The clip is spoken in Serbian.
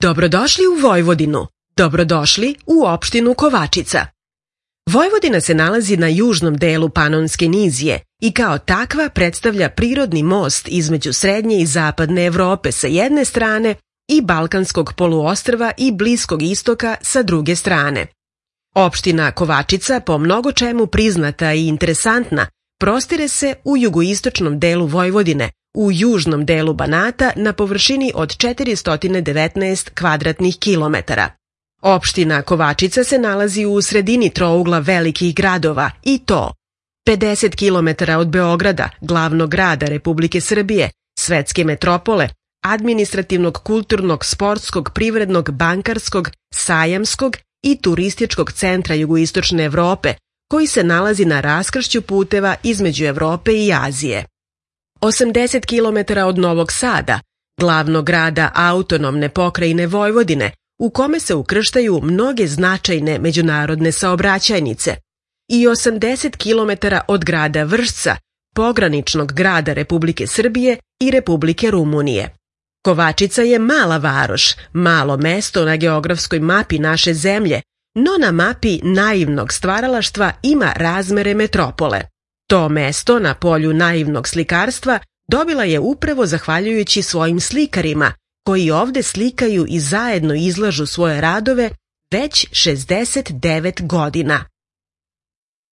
Dobrodošli u Vojvodinu. Dobrodošli u opštinu Kovačica. Vojvodina se nalazi na južnom delu Panonske nizije i kao takva predstavlja prirodni most između srednje i zapadne Evrope sa jedne strane i Balkanskog poluostrva i Bliskog istoka sa druge strane. Opština Kovačica, po mnogo čemu priznata i interesantna, prostire se u jugoistočnom delu Vojvodine, u južnom delu Banata na površini od 419 kvadratnih kilometara. Opština Kovačica se nalazi u sredini trougla velikih gradova i to 50 km od Beograda, glavnog grada Republike Srbije, svetske metropole, administrativnog, kulturnog, sportskog, privrednog, bankarskog, sajamskog i turističkog centra jugoistočne Evrope, koji se nalazi na raskršću puteva između Evrope i Azije. 80 km od Novog Sada, glavnog grada autonomne pokrajine Vojvodine, u kome se ukrštaju mnoge značajne međunarodne saobraćajnice, i 80 km od grada Vršca, pograničnog grada Republike Srbije i Republike Rumunije. Kovačica je mala varoš, malo mesto na geografskoj mapi naše zemlje, no na mapi naivnog stvaralaštva ima razmere metropole. To mesto na polju naivnog slikarstva dobila je upravo zahvaljujući svojim slikarima, koji ovde slikaju i zajedno izlažu svoje radove već 69 godina.